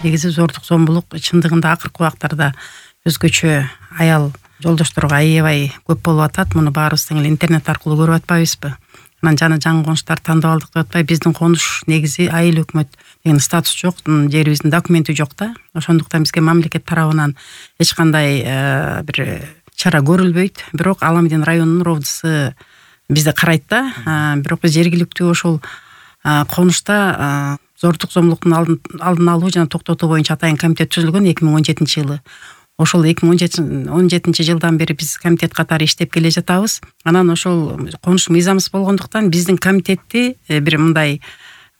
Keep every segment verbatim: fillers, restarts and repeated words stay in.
негизи зордук зомбулук чындыгында акыркы убактарда өзгөчө аял жолдошторго аябай көп болуп атат. Муну баарыбыз тең эле интернет аркылуу көрүп атпайбызбы? Анан жана жаңы конуштар тандап алдык деп атпай, биздин конуш негизи айыл өкмөт деген статус жок, жерибиздин документи жок да. Ошондуктан бизге мамлекет тарабынан эч кандай бир чара көрүлбөйт. Бирок Аламедин районунун ровдысы бизди карайт да. Бирок биз жергиликтүү ошол конушта зордук зомбулуктун алдын алуу жана токтотуу боюнча атайын комитет түзүлгөн эки миң он жетинчи жылы. Ошол эки миң он жетинчи жылдан бери биз комитет катары иштеп келе жатабыз. Анан ошол конуш мыйзамсыз болгондуктан биздин комитетти бир мындай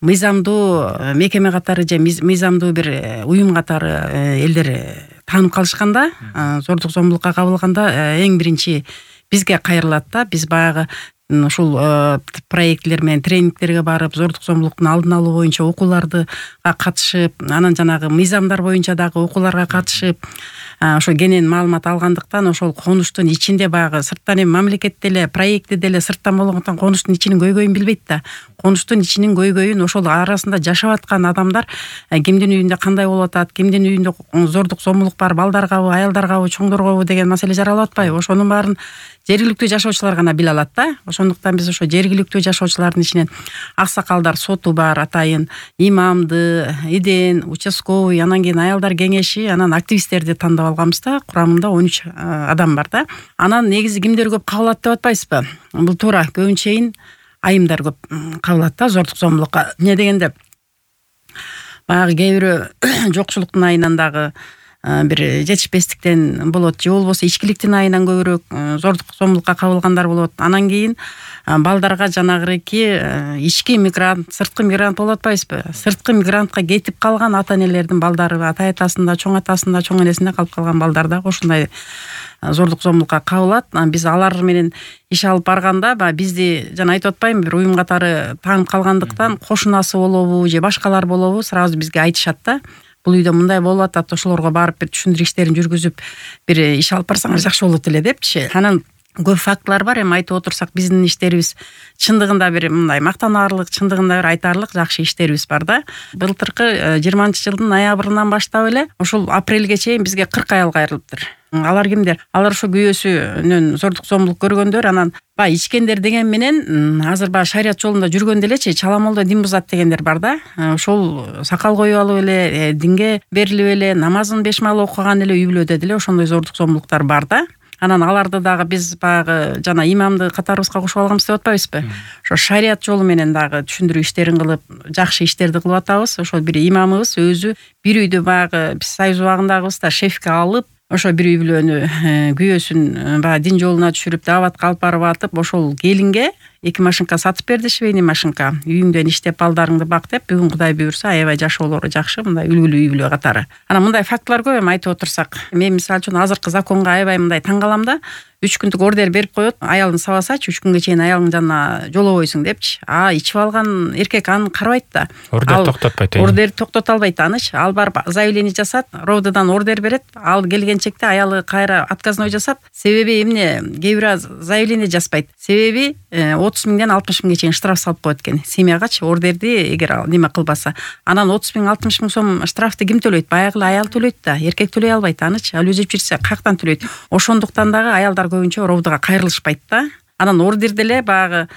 мыйзамдуу мекеме катары же мыйзамдуу бир уюм катары элдер таанып калышканда, зордук зомбулукка кабылганда эң биринчи бизге кайрылат да. Биз баягы ушул проектлер менен тренингтерге барып, зордук зомбулуктун алдын алуу боюнча окууларга катышып, анан жанагы мыйзамдар боюнча дагы окууларга катышып, ошо кенен маалымат алгандыктан ошол конуштун ичинде баягы сырттан эми мамлекет деле, проекти деле сырттан болгондуктан конуштун ичинин көйгөйүн билбейт да. Конуштун ичинин көйгөйүн ошол арасында жашап аткан адамдар кимдин үйүндө кандай болуп атат, кимдин үйүндө зордук зомбулук бар, балдаргабы, аялдаргабы, чоңдоргобу деген маселе жаралып атпайбы? Ошонун баарын жергиликтүү жашоочулар гана биле алат да. Ошондуктан биз ошо жергиликтүү жашоочулардын ичинен аксакалдар соту бар, атайын имамды, иден, участковый, анан кийин аялдар кеңеши, анан активисттерди тандап алганбыз да. Курамында он үч адам бар да. Анан негизи кимдер көп кабылат деп атпайсызбы? Бул туура, көбүнчөйүн айымдар көп кабылат да зордук зомбулукка. Эмне дегенде баягы кээ бирөө жокчулуктун айынан дагы бир жетишпестиктен болот, же болбосо ичкиликтин айынан көбүрөөк зордук зомбулукка кабылгандар болот. Анан кийин балдарга жанагырыки ички мигрант, сырткы мигрант болуп атпайсызбы? Сырткы мигрантка кетип калган ата энелердин балдары, ата атасында, чоң атасында, чоң энесинде калып калган балдар да ошондой зордук зомбулукка кабылат. Биз алар менен иш алып барганда, бизди жана айтып атпайбы, бир уюм катары таанып калгандыктан кошунасы болобу же башкалар болобу сразу бизге айтышат да. Бул үйдө мындай болуп атат, ошолорго барып бир түшүндүрүү иштерин жүргүзүп, бир иш алып барсаңыз жакшы болот эле депчи. Анан көп фактылар бар. Эми айтып отурсак, биздин иштерибиз чындыгында бир мындай мактанаарлык, чындыгында бир айтаарлык жакшы иштерибиз бар да. Былтыркы жыйырманчы жылдын ноябрынан баштап эле ушул апрелге чейин бизге кырк аял кайрылыптыр. Алар кимдер? Алар ошо күйөөсүнөн зордук зомбулук көргөндөр, анан баягы ичкендер деген менен азыр баягы шарият жолунда жүргөндө элечи чаламолдо дин бузат дегендер бар да. Ошол сакал коюп алып эле, динге берилип эле, намазын беш маал окуган эле үй бүлөдө деле ошондой зордук зомбулуктар бар да. Анан аларды дагы биз баягы жана имамды катарыбызга кошуп алганбыз деп атпайбызбы? Ошо шарият жолу менен дагы түшүндүрүү иштерин кылып, жакшы иштерди кылып атабыз. Ошол бир имамыбыз өзү бир үйдү баягы биз союз убагындагыбыз да шефке алып, ошо бир үй бүлөнү күйөөсүн баягы дин жолуна түшүрүп, дааватка алып барып атып, ошол келинге эки машинка сатып берди, швейный машинка. Үйүңдөн иштеп балдарыңды бак деп, бүгүн Кудай буйрса аябай жашоолору жакшы, мындай үлгүлүү үй бүлө катары. Анан мындай фактылар көп эми айтып отурсак. Мен мисалы үчүн азыркы законго аябай мындай таң калам да. үч күндүк ордер берип коет, аялын сабасачы, үч күнгө чейин аялың жанына жолобойсуң депчи. А ичип алган эркек аны карабайт да. Ордер токтотпойт. Ордер токтото албайт аныч. Ал барып заявление жасат, ровдодан ордер берет. Ал келгенчекте аялы кайра отказной жасат. Себеби эмне? Кээ бир заявление жазбайт. Себеби отуз миңден алтымыш миңге чейин штраф салып коет экен. Семьягачы ордерди эгер неме кылбаса. Анан отуз миң алтымыш миң сом штрафты ким төлөйт? Баягы аял төлөйт да. Эркек төлөй албайт аныч. Ал өзү жүрсө каяктан төлөйт? Ошондуктан дагы аялдар көбүнчө ровдога кайрылышпайт да. Анан ордерде эле баягы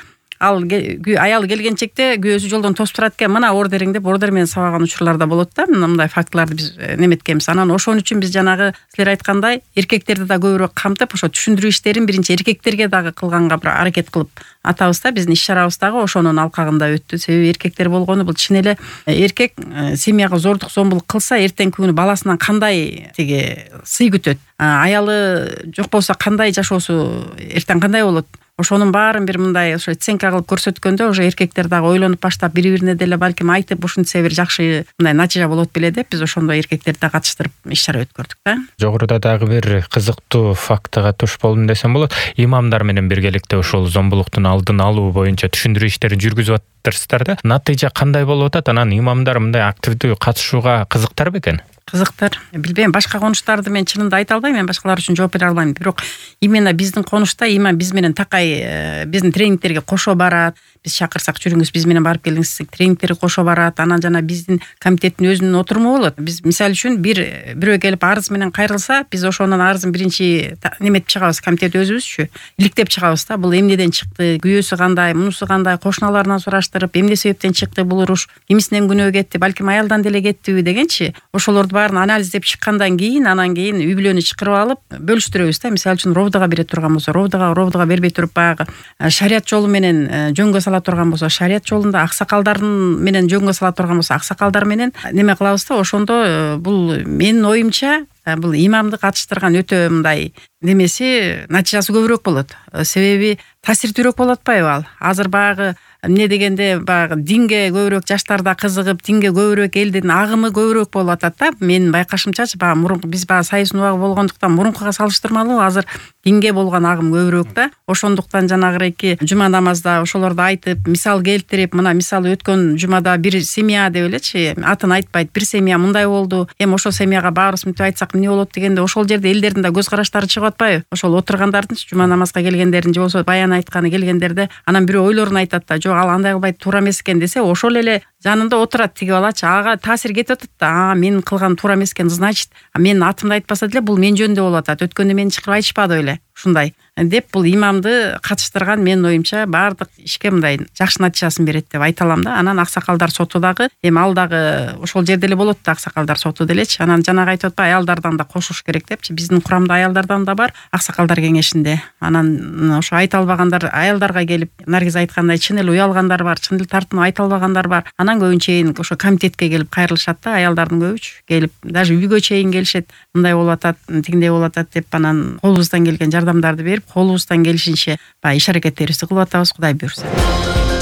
ал аялы келгенчекте күйөөсү жолдон тосуп турат экен. Мына ордериң деп ордер менен сабаган учурлар да болот да. Мындай фактыларды биз неметкенбиз. Анан ошон үчүн биз жанагы силер айткандай эркектерди да көбүрөөк камтып, ошо түшүндүрүү иштерин биринчи эркектерге дагы кылганга бир аракет кылып атабыз да. Биздин иш чарабыз дагы ошонун алкагында өттү. Себеби эркектер болгону бул чын эле эркек семьяга зордук зомбулук кылса, эртеңки күнү баласынан кандай тиги сый күтөт? Аялы жок болсо кандай жашоосу эртең кандай болот? Ошонун баарын бир мындай ошо оценка кылып көрсөткөндө уже эркектер дагы ойлонуп баштап бири-бирине деле балким айтып, ушинтсе бир жакшы мындай натыйжа болот беле деп биз ошондой эркектерди да катыштырып иш чара өткөрдүк да. Жогоруда дагы бир кызыктуу фактыга туш болдум десем болот. Имамдар менен биргеликте ошол зомбулуктун алдын алуу боюнча түшүндүрүү иштерин жүргүзүп атырсыздар да. Натыйжа кандай болуп атат? Анан имамдар мындай активдүү катышууга кызыктар бекен? Кызыктар. Билбейм, башка конуштарды мен чынында айта албайм, мен башкалар үчүн жооп бере албайм. Бирок именно биздин конушта имам биз менен такай биздин тренингтерге кошо барат. биз чакырсак жүрүңүз биз менен барып келиңиз, тренингтерге кошо барат. Анан жана биздин комитеттин өзүнүн отуруму болот. Биз мисалы үчүн бир бирөө келип арыз менен кайрылса, биз ошонун арызын биринчи неметип чыгабыз, комитет өзүбүзчү иликтеп чыгабыз да. Бул эмнеден чыкты, күйөөсү кандай, мунусу кандай, кошуналарынан сураштырып, эмне себептен чыкты бул уруш, кимисинен күнөө кетти, балким аялдан деле кеттиби дегенчи, ошолорду баарын анализдеп чыккандан кийин, анан кийин үй бүлөнү чакырып алып бөлүштүрөбүз да. Мисалы үчүн ровдага бере турган болсо, ровдага ровдага бербей туруп, баягы шарият жолу менен жөнгө сала турган болсо, шарият жолунда, аксакалдардын менен жөнгө сала турган болсо, аксакалдар менен неме кылабыз да. Ошондо бул менин оюмча бул имамды катыштырган өтө мындай немеси, натыйжасы көбүрөөк болот. Себеби таасирдүүрөөк болуп атпайбы ал? Азыр баягы эмне дегенде баягы динге көбүрөөк жаштарда кызыгып, динге көбүрөөк элдин агымы көбүрөөк болуп атат да. Менин байкашымчачы, баягы мурунку биз баягы сайыстын убагы болгондуктан мурункуга салыштырмалуу азыр динге болгон агым көбүрөөк да. Ошондуктан жанагыреки жума намазда ошолорду айтып, мисал келтирип, мына мисалы өткөн жумада бир семья деп элечи, атын айтпайт, бир семья мындай болду, эми ошол семьяга баарыбыз мынтип айтсак эмне болот дегенде, ошол жерде элдердин да көз караштары чыгып атпайбы? Ошол отургандардын жума намазга келгендердин же болбосо баян айтканы келгендерде анан бирөө ойлорун айтат да, жок ал андай кылбайт, туура эмес экен десе, ошол эле жанында отурат тиги балачы, ага таасир кетип атат да. А менин кылган туура эмес экен, значит, менин атымды айтпаса деле бул мен жөнүндө болуп атат. Өткөндө мени чакырып айтышпады беле? Ушундай деп бул имамды катыштырган менин оюмча баардык ишке мындай жакшы натыйжасын берет деп айта алам да. Анан аксакалдар соту дагы эми ал дагы ошол жерде эле болот да, аксакалдар соту делечи. Анан жанагы айтып атпайбы, аялдардан да кошуш керек депчи. Биздин курамда аялдардан да бар, аксакалдар кеңешинде. Анан ошо айта албагандар аялдарга келип, Наргиз айткандай, чын эле уялгандар бар, чын эле тартынып айта албагандар бар. Анан көбүнчө чейин ошо комитетке келип кайрылышат да, аялдардын көбүчү келип, даже үйгө чейин келишет. Мындай болуп атат, тигиндей болуп атат деп, анан колубуздан келген жардамдарды берип, колубуздан келишинче баягы иш аракеттерибизди кылып атабыз, Кудай буйрса.